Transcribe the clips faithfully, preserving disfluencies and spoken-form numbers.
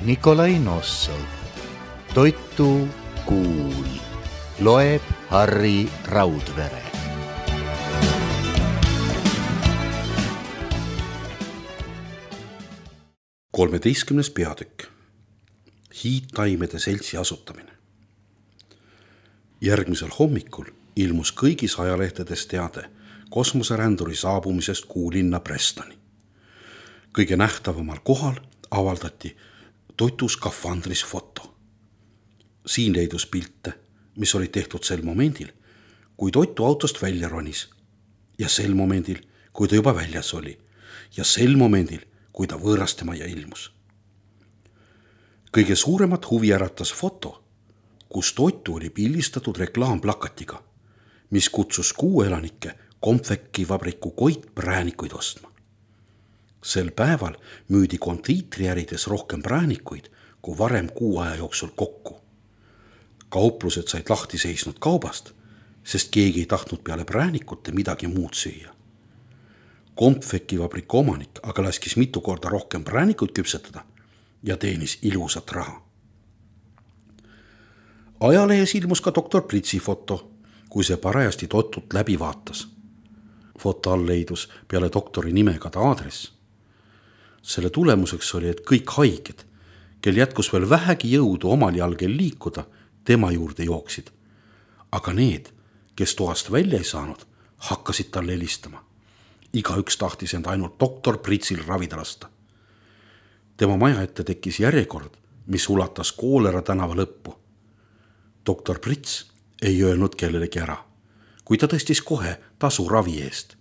Nikolai Nossov. Toitu kuul. Loeb Harri Raudvere. kolmeteistkümnes peatükk. Hiidtaimede seltsi asutamine. Järgmisel hommikul ilmus kõigis ajalehtedes teade kosmoseränduri saabumisest kuulinna Prestoni. Kõige nähtavamal kohal avaldati toitu skafandris foto. Siin leidus pilte, mis olid tehtud sel momendil, kui toitu autost välja ronis, ja sel momendil, kui ta juba väljas oli, ja sel momendil, kui ta võõrastemaja ilmus. Kõige suuremat huvi äratas foto, kus toitu oli pildistatud reklaamplakatiga, mis kutsus kuu elanikke Comfecki vabriku Koit präänikuid ostma. Sel päeval müüdi kondiitriärides rohkem präänikuid kui varem kuu aja jooksul kokku. Kauplused said lahti seisnud kaubast, sest keegi ei tahtnud peale präänikute midagi muud süüa. Comfecki vabriku omanik aga laskis mitu korda rohkem präänikuid küpsetada ja teenis ilusat raha. Ajalehes ilmus ka doktor Pritsi foto, kui see parajasti totut läbi vaatas. Foto all leidus peale doktori nimega ta aadress. Selle tulemuseks oli, et kõik haiged, kel jätkus veel vähegi jõudu omal jalgel liikuda, tema juurde jooksid. Aga need, kes toast välja ei saanud, hakkasid talle helistama. Igaüks tahtis end ainult doktor Pritsil ravida lasta. Tema maja ette tekkis järjekord, mis ulatas Koolera tänava lõppu. Doktor Prits ei öelnud kellelegi ära, kui ta tõstis kohe tasu ravi eest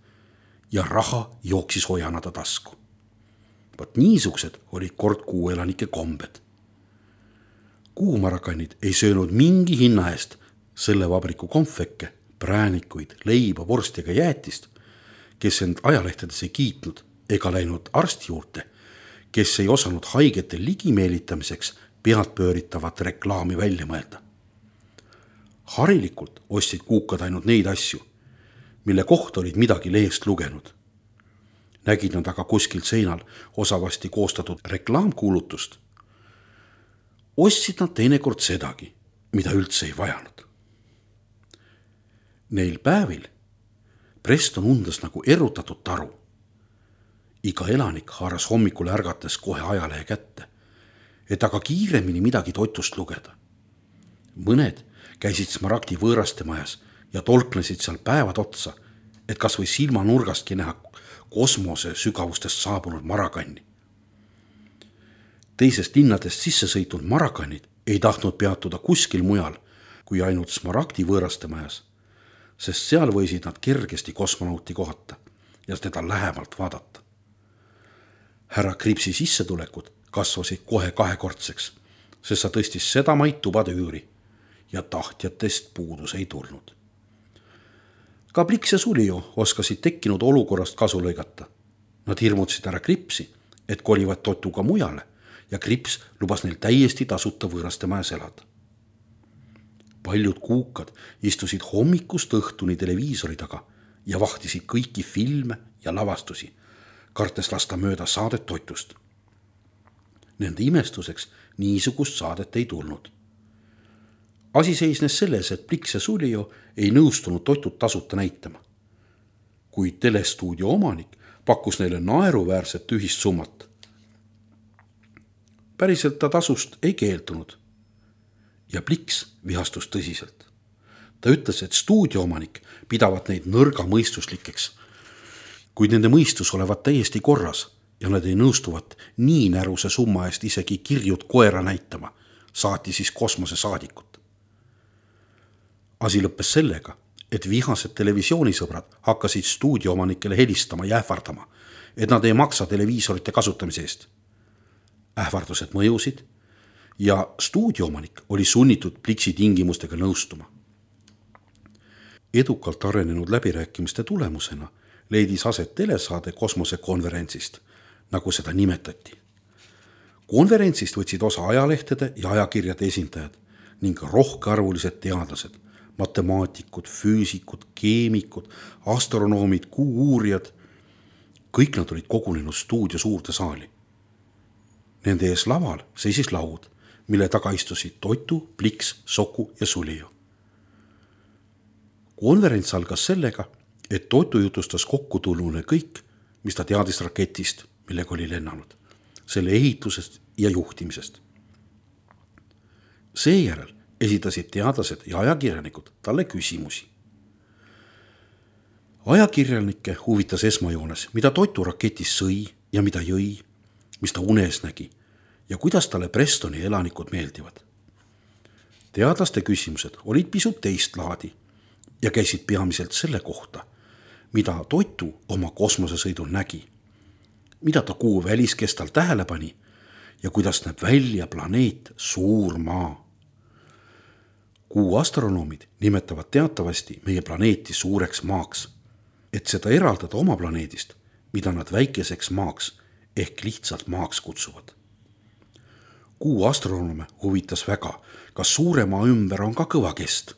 ja raha jooksis hojana ta tasku. Vaat niisugused olid kord kuu elanike kombed. Kuumarakannid ei söönud mingi hinna eest selle vabriku Comfecke, präänikuid, leiba, vorsti ega jäätist, kes end ajalehtedes ei kiitnud ega läinud arsti juurde, kes ei osanud haigete ligimeelitamiseks pealt pööritavat reklaami välja mõelda. Harilikult ostsid kuukad ainult neid asju, mille kohta olid midagi lehest lugenud. Nägid nad aga kuskilt seinal osavasti koostatud reklaamkuulutust. Ostsid nad teinekord sedagi, mida üldse ei vajanud. Neil päevil Preston undas nagu erutatud taru. Iga elanik haaras hommikul ärgates kohe ajalehe kätte, et aga kiiremini midagi toitust lugeda. Mõned käisid Smaragdi võõrastemajas ja tolknesid seal päevad otsa, et kas või silma nurgastki näha kosmose sügavustest saabunud marakanni. Teisest linnadest sisse sõitnud marakannid ei tahtnud peatuda kuskil mujal kui ainult Smaragdi võõrastemajas, sest seal võisid nad kergesti kosmonauti kohata ja teda lähemalt vaadata. Härra Kripsi sissetulekud kasvasid kohe kahekordseks, sest sa tõstis seda maid tubade üüri ja tahtjatest puudus ei tulnud. Ka Pliks ja Sulio oskasid tekkinud olukorrast kasu lõigata. Nad hirmutasid härra Kripsi, et kolivad totuga mujale ja Krips lubas neil täiesti tasuta võõrastemajas elada. Paljud kuukad istusid hommikust õhtuni televiisori taga ja vahtisid kõiki filme ja lavastusi, kartes lasta mööda saadet toitust. Nende imestuseks niisugust saadet ei tulnud. Asi seisnes selles, et Pliks ja Sulio ei nõustunud toitut tasuta näitama. Kuid telestuudio omanik pakkus neile naeruväärset ühist summat. Päriselt ta tasust ei keeldunud ja Pliks vihastus tõsiselt. Ta ütles, et stuudio omanik pidavat neid nõrga mõistuslikeks, kuid nende mõistus olevat täiesti korras ja nad ei nõustuvat nii näruse summa eest isegi kirjut koera näitama, saati siis kosmose saadikut. Asi lõppes sellega, et vihased televisioonisõbrad hakkasid stuudio omanikele helistama ja ähvardama, et nad ei maksa televiisorite kasutamise eest. Ähvardused mõjusid ja stuudio omanik oli sunnitud Pliksi tingimustega nõustuma. Edukalt arenenud läbirääkimiste tulemusena leidis aset telesaade kosmosekonverentsist, nagu seda nimetati. Konverentsist võtsid osa ajalehtede ja ajakirjade esindajad ning rohkearvulised teadlased, matemaatikud, füüsikud, keemikud, astronoomid, kuu-uurijad. Kõik nad olid kogunenud stuudio suurde saali. Nende ees laval seisis laud, mille taga istusid Toitu, Pliks, Soku ja Sulju. Konverents algas sellega, et Toitu jutustas kokkutulnule kõik, mis ta teadis raketist, millega oli lennanud, selle ehitusest ja juhtimisest. Seejärel esitasid teadlased ja ajakirjanikud talle küsimusi. Ajakirjanikke huvitas esmajoones, mida Toitu raketis sõi ja mida jõi, mis ta unes nägi ja kuidas talle Prestoni elanikud meeldivad. Teadlaste küsimused olid pisut teist laadi ja käisid peamiselt selle kohta, mida Toitu oma kosmosesõidul nägi, mida ta kuu väliskestal tähele pani ja kuidas näeb välja planeet Suur Maa. Kuu astronoomid nimetavad teatavasti meie planeeti suureks maaks, et seda eraldada oma planeedist, mida nad väikeseks maaks ehk lihtsalt maaks kutsuvad. Kuu astronoome huvitas väga, kas suure maa ümber on ka kõva kest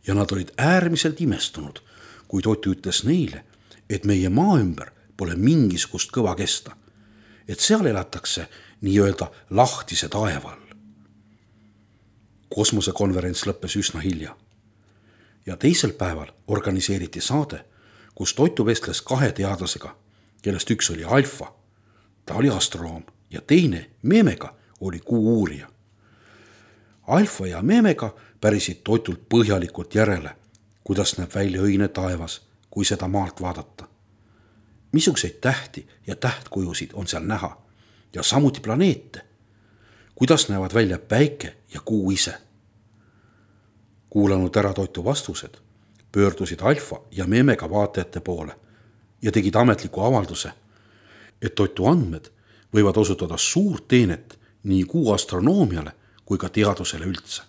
ja nad olid äärmiselt imestunud, kui Toitu ütles neile, et meie maa ümber pole mingisugust kõva kesta, et seal elatakse nii-öelda lahtise taeva all. Kosmosekonverents lõppes üsna hilja ja teisel päeval organiseeriti saade, kus Toitu vestles kahe teadlasega, kellest üks oli Alfa, ta oli astronoom ja teine Memega oli kuu uurija. Alfa ja Memega pärisid Toitult põhjalikult järele, kuidas näeb välja õine taevas, kui seda maalt vaadata. Missugseid tähti ja tähtkujusid on seal näha ja samuti planeete, kuidas näevad välja päike ja kuu ise. Kuulanud ära Toitu vastused, pöördusid Alfa ja Memega vaatajate poole ja tegid ametliku avalduse, et Toitu andmed võivad osutada suurt teenet nii kuu astronoomiale kui ka teadusele üldse.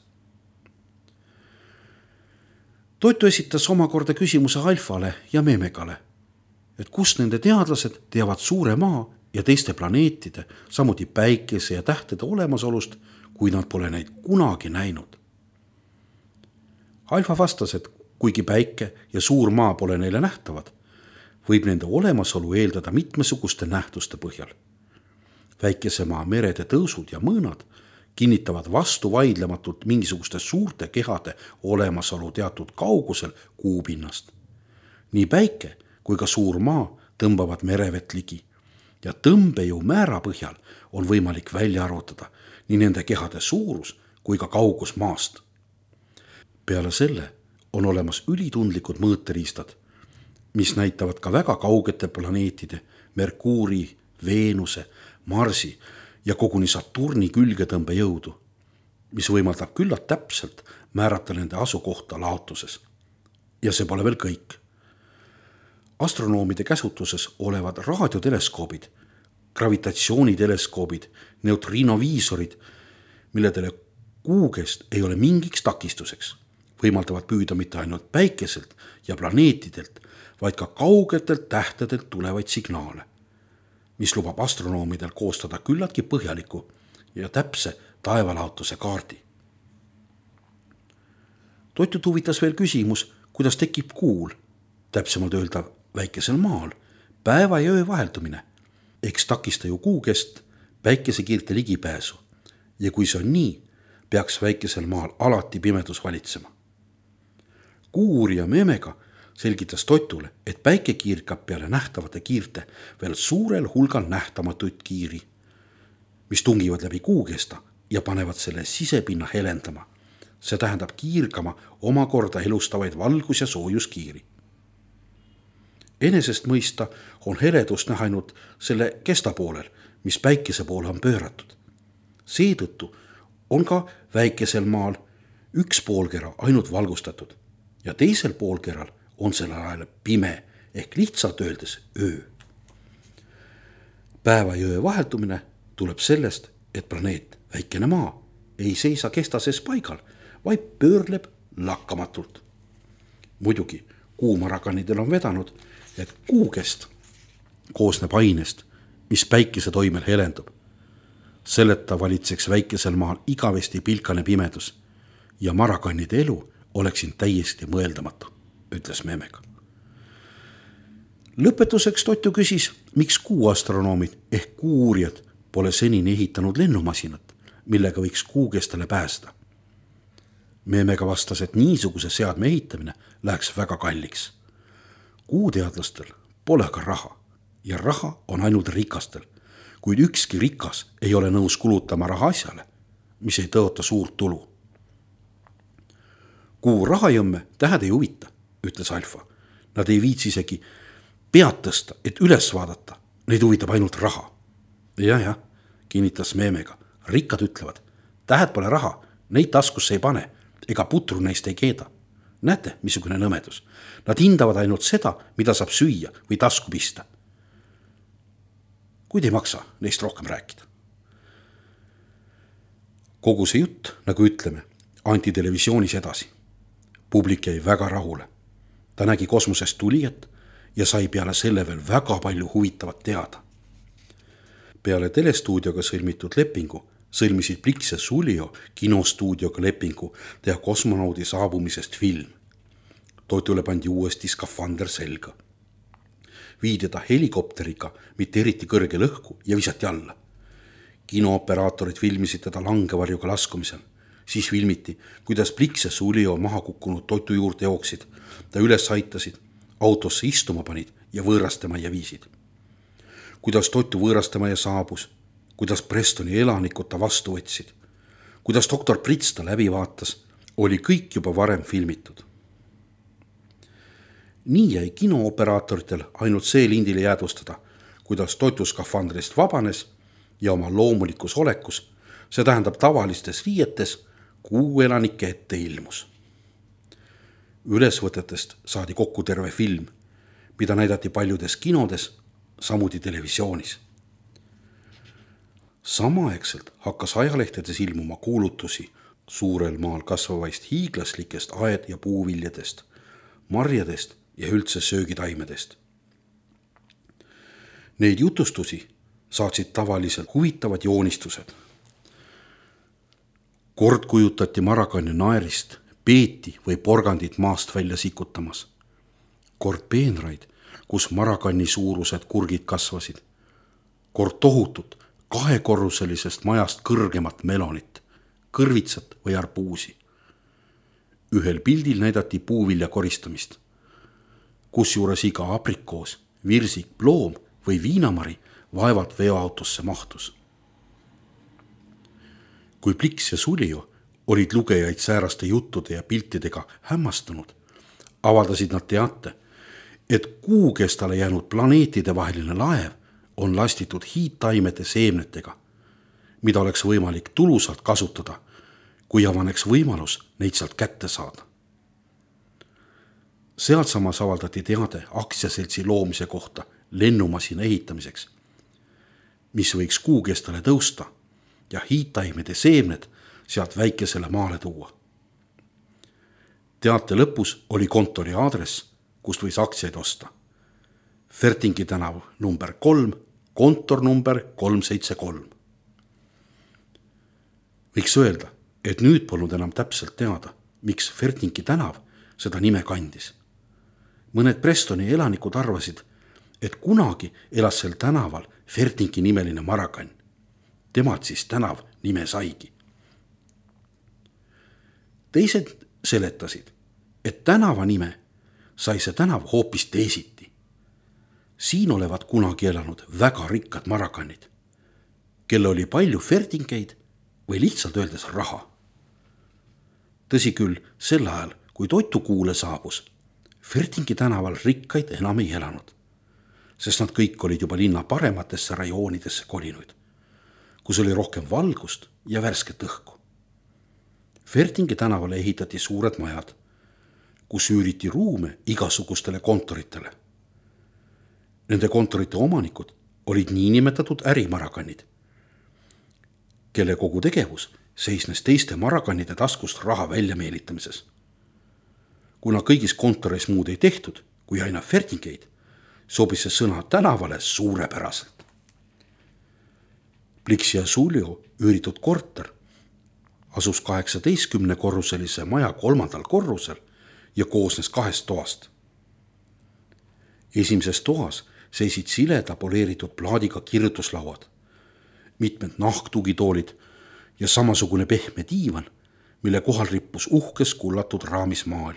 Toitu esitas omakorda küsimuse Alfale ja Memegale, et kus nende teadlased teavad suure maa ja teiste planeetide, samuti päikese ja tähtede olemasolust, kui nad pole neid kunagi näinud. Alfa vastas, et kuigi päike ja suur maa pole neile nähtavad, võib nende olemasolu eeldada mitmesuguste nähtuste põhjal. Väikesemaa merede tõusud ja mõõnad kinnitavad vastu vaidlematult mingisuguste suurte kehade olemasolu teatud kaugusel kuupinnast. Nii päike kui ka suur maa tõmbavad merevett ligi ja tõmbejõu määra põhjal on võimalik välja arvutada nii nende kehade suurus kui ka kaugus maast. Peale selle on olemas ülitundlikud mõõteriistad, mis näitavad ka väga kaugete planeetide, Merkuuri, Veenuse, Marsi ja koguni Saturni külgetõmbe jõudu, mis võimaldab küllalt täpselt määrata nende asukohta laotuses. Ja see pole veel kõik. Astronoomide käsutuses olevad raadioteleskoobid, gravitatsiooniteleskoobid, neutrinoviisorid, milledele kuugest ei ole mingiks takistuseks, võimaldavad püüda mitte ainult päikeselt ja planeetidelt, vaid ka kaugetelt tähtedelt tulevaid signaale, mis lubab astronoomidel koostada küllaltki põhjaliku ja täpse taevalaotuse kaardi. Toitut huvitas veel küsimus, kuidas tekib kuul, täpsemalt öelda väikesel maal, päeva ja öö vaheldumine, eks takista ju kuugest päikesekiirte ligipääsu ja kui see on nii, peaks väikesel maal alati pimedus valitsema. Kuu-uurija Memega selgitas Toitule, et päike kiirkab peale nähtavate kiirte veel suurel hulgal nähtamatuid kiiri, mis tungivad läbi kuukesta ja panevad selle sisepinna helendama. See tähendab kiirgama omakorda elustavaid valgus- ja soojuskiiri. Enesest mõista on heledust näha ainult selle kesta poolel, mis päikese poole on pööratud. Seetõttu on ka väikesel maal üks poolkera ainult valgustatud ja teisel poolkeral on sellel ajal pime ehk lihtsalt öeldes öö. Päeva ja öö vaheldumine tuleb sellest, et planeet väikene maa ei seisa kestases paigal, vaid pöörleb lakkamatult. Muidugi kuumarakanidel on vedanud, et kuukest koosneb ainest, mis päikese toimel helendub. Selleta valitseks väikesel maal igavesti pilkane pimedus ja marakannide elu oleks siin täiesti mõeldamatu, ütles Memega. Lõpetuseks Toitu küsis, miks kuuastronoomid ehk kuu-uurijad pole senini ehitanud lennumasinat, millega võiks kuu kestale pääseda. Meemega vastas, et niisuguse seadme ehitamine läheks väga kalliks. Kuuteadlastel pole ka raha ja raha on ainult rikastel, kuid ükski rikas ei ole nõus kulutama raha asjale, mis ei tõota suurt tulu. Kuu rahajõmme tähed ei huvita, ütles Alfa. Nad ei viitsi isegi pead tõsta, et üles vaadata. Neid huvitab ainult raha. Jah, jah, kinnitas Meemega. Rikkad ütlevad, tähed pole raha, neid taskusse ei pane, ega putru neist ei keeda. Näete, missugune nõmedus. Nad hindavad ainult seda, mida saab süüa või tasku pista. Kuid ei maksa neist rohkem rääkida. Kogu see jutt, nagu ütleme, anti televisioonis edasi. Publik jäi väga rahule. Ta nägi kosmosest tulijat ja sai peale selle veel väga palju huvitavat teada. Peale telestuudioga sõlmitud lepingu sõlmisid Blix ja Sulio kinostuudioga lepingu teha kosmonaudi saabumisest film. Toitule pandi uuesti skafander selga. Viidi ta helikopteriga mitte eriti kõrge lõhku ja visati alla. Kinooperaatorid filmisid teda langevarjuga laskumisel. Siis filmiti, kuidas Blix ja Sulio maha kukkunud Toitu juurde jooksid. Ta üles aitasid, autosse istuma panid ja võõrastemaja viisid. Kuidas Toitu võõrastemaja saabus, kuidas Prestoni elanikud ta vastu võtsid, kuidas doktor Prits ta läbi vaatas, oli kõik juba varem filmitud. Nii jäi kinooperaatoritel ainult see lindile jäädvustada, kuidas Toitu skafandrist vabanes ja oma loomulikus olekus, see tähendab tavalistes riietes, kuu elanike ette ilmus. Ülesvõtetest saadi kokku terve film, mida näidati paljudes kinodes, samuti televisioonis. Samaaegselt hakkas ajalehtedes ilmuma kuulutusi suurel maal kasvavaist hiiglaslikest aed- ja puuviljadest, marjadest ja üldse söögitaimedest. Neid jutustusi saatsid tavaliselt huvitavad joonistused. Kord kujutati Marakanni naerist, peeti või porgandit maast välja sikutamas. Kord peenraid, kus Marakanni suurused kurgid kasvasid. Kord tohutut kahekorruselisest majast kõrgemat melonit, kõrvitsat või arbuusi. Ühel pildil näidati puuvilja koristamist, kus juures iga aprikoos, virsik, ploom või viinamari vaevalt veoautosse mahtus. Kui Blix ja Sulio olid lugejaid sääraste juttude ja piltidega hämmastunud, avaldasid nad teate, et kuu kestale jäänud planeetide vaheline laev on lastitud hiidtaimede seemnetega, mida oleks võimalik tulusalt kasutada, kui avaneks võimalus neid sealt kätte saada. Sealt samas avaldati teade aktsiaseltsi loomise kohta lennumasina ehitamiseks, mis võiks kuu kestale tõusta ja hiidtaimede seemned sealt väikesele maale tuua. Teate lõpus oli kontori aadress, kust võis aktsiaid osta. Fertingi tänav number kolm, kontor number kolm seitse kolm. Võiks öelda, et nüüd polnud enam täpselt teada, miks Fertingi tänav seda nime kandis. Mõned Prestoni elanikud arvasid, et kunagi elas sel tänaval Fertingi nimeline Marakann. Temad siis tänav nime saigi. Teised seletasid, et tänava nime sai see tänav hoopis teisiti. Siin olevat kunagi elanud väga rikkad marakannid, kelle oli palju fertingeid või lihtsalt öeldes raha. Tõsi küll, sel ajal, kui Toitu kuule saabus, Fertingi tänaval rikkaid enam ei elanud, sest nad kõik olid juba linna parematesse rajoonidesse kolinuid, kus oli rohkem valgust ja värsket õhku. Fertingi tänavale ehitati suured majad, kus üüriti ruume igasugustele kontoritele. Nende kontorite omanikud olid niinimetatud ärimarakannid, kelle kogu tegevus seisnes teiste marakannide taskust raha välja meelitamises. Kuna kõigis kontoris muud ei tehtud, kui aina fertingeid, sobis see sõna tänavale suurepäraselt. Blix ja Sulio üüritud korter asus kaheksateistkümne korruselise maja kolmandal korrusel ja koosnes kahest toast. Esimeses toas seisid sileda poleeritud plaadiga kirjutuslauad mitmed nahktugitoolid ja samasugune pehme diivan, mille kohal rippus uhkes kullatud raamis maal,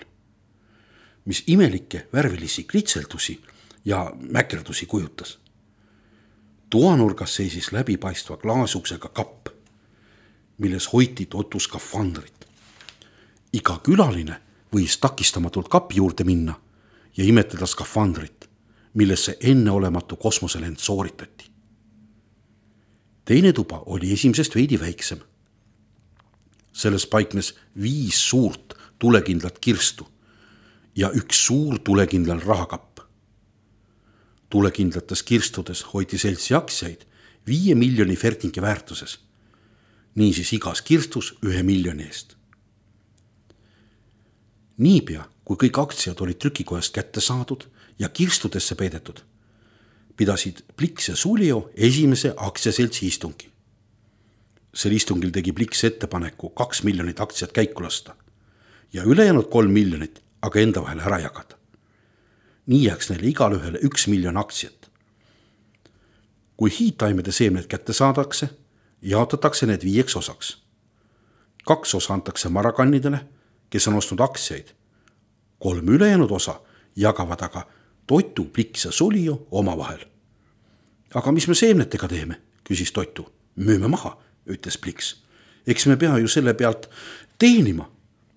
mis imelikke värvilisi kritseldusi ja mäkerdusi kujutas. Toanurgas seisis läbipaistva klaasuksega kapp, milles hoiti Totu skafandrit. Iga külaline võis takistamatult kapi juurde minna ja imetleda skafandrit, millesse enneolematu kosmoselend sooritati. Teine tuba oli esimesest veidi väiksem. Selles paiknes viis suurt tulekindlat kirstu ja üks suur tulekindlal rahakapp. Tulekindlates kirstudes hoiti seltsi aktsiaid viie miljoni fertingi väärtuses, niisiis igas kirstus ühe miljoni eest. Niipea, kui kõik aktsiad olid trükikojast kätte saadud ja kirstudesse peidetud, pidasid Pliks ja Sulio esimese aktsiaseltsi istungi. Sel istungil tegi Pliks ettepaneku kaks miljonit aktsiat käiku lasta ja ülejäänud kolm miljonit aga enda vahel ära jagada. Nii jääks neile igal ühele üks miljon aktsiat. Kui hiidtaimede seemned kätte saadakse, jaotatakse need viieks osaks. Kaks osa antakse marakannidele, kes on ostnud aktsiaid. Kolm ülejäänud osa jagavad aga Totu, Pliks ja Sulio oma vahel. Aga mis me seemnetega teeme, küsis Totu. Müüme maha, ütles Pliks. Eks me pea ju selle pealt teenima,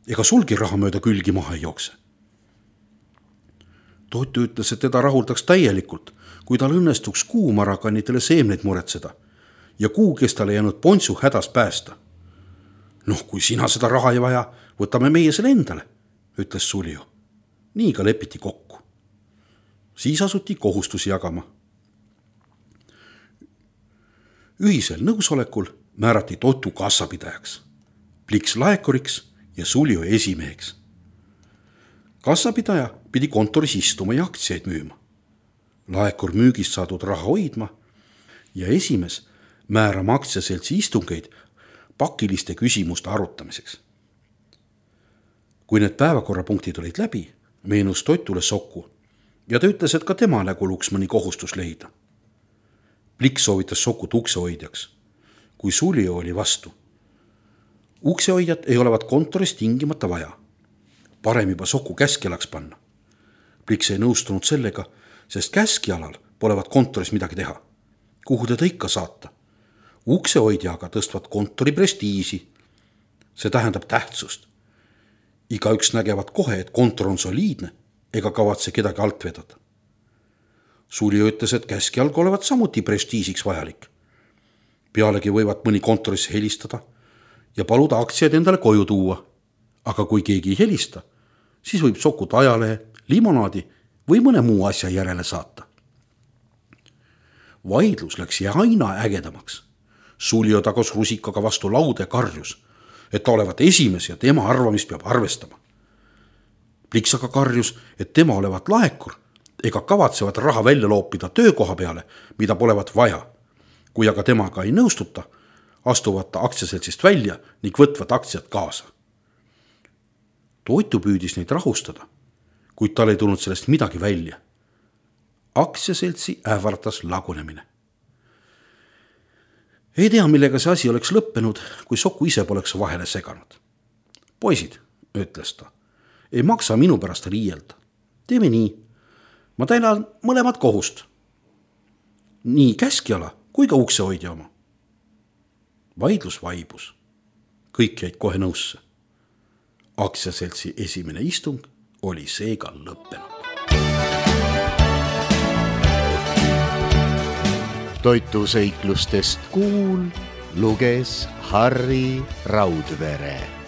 ega sulgi raha mööda külgi maha ei jookse. Totu ütles, et teda rahuldaks täielikult, kui tal õnnestuks kuu marakannidele seemneid muretseda ja kuu, kes talle jäänud pontsu hädas päästa. Noh, kui sina seda raha ei vaja, võtame meie selle endale, ütles Sulio. Nii ka lepiti kokku. Siis asuti kohustusi jagama. Ühisel nõusolekul määrati Totu kassapidajaks, Pliks laekuriks ja Sulio esimeheks. Kassapidaja pidi kontoris istuma ja aktsiaid müüma. Laekur müügist saadud raha hoidma ja esimees määrama aktsiaseltsi istungeid pakiliste küsimuste arutamiseks. Kui need päevakorrapunktid olid läbi, meenus Totule Soku ja ta ütles, et ka temale kuluks mõni kohustus leida. Pliks soovitas Sokut uksehoidjaks, kui Sulio oli vastu. Uksehoidjat ei olevat kontoris tingimata vaja. Parem juba Soku käskjalaks panna. Pliks ei nõustunud sellega, sest käskjalal polevat kontoris midagi teha. Kuhu teda ikka saata? Uksehoidjaga tõstvad kontori prestiisi. See tähendab tähtsust. Igaüks nägevad kohe, et kontor on soliidne ega kavatse kedagi alt vedada. Sulio ütles, et käskjalg olevat samuti prestiisiks vajalik. Pealegi võivad mõni kontorisse helistada ja paluda aktsiaid endale koju tuua. Aga kui keegi ei helista, siis võib Sokut ajalehe, limonaadi või mõne muu asja järele saata. Vaidlus läks aina ägedamaks. Sulio tagus rusikaga vastu laude karjus, et ta olevat esimes ja tema arvamist peab arvestama. Pliks aga karjus, et tema olevat laekur ega kavatsevat raha välja loopida töökoha peale, mida polevat vaja. Kui aga temaga ei nõustuta, astuvad ta aktsiaseltsist välja ning võtvad aktsiat kaasa. Totu püüdis neid rahustada, kuid tal ei tulnud sellest midagi välja. Aktsiaseltsi ähvartas lagunemine. Ei tea, millega see asi oleks lõppenud, kui Soku ise poleks vahele seganud. Poisid, ütles ta, ei maksa minu pärast riielda. Teeme nii. Ma täinan mõlemad kohust. Nii käskjala kui ka uksehoidja oma. Vaidlus vaibus. Kõik jäid kohe nõusse. Aktsiaseltsi esimene istung oli seega lõppenud. Totu seiklustest kuul luges Harri Raudvere.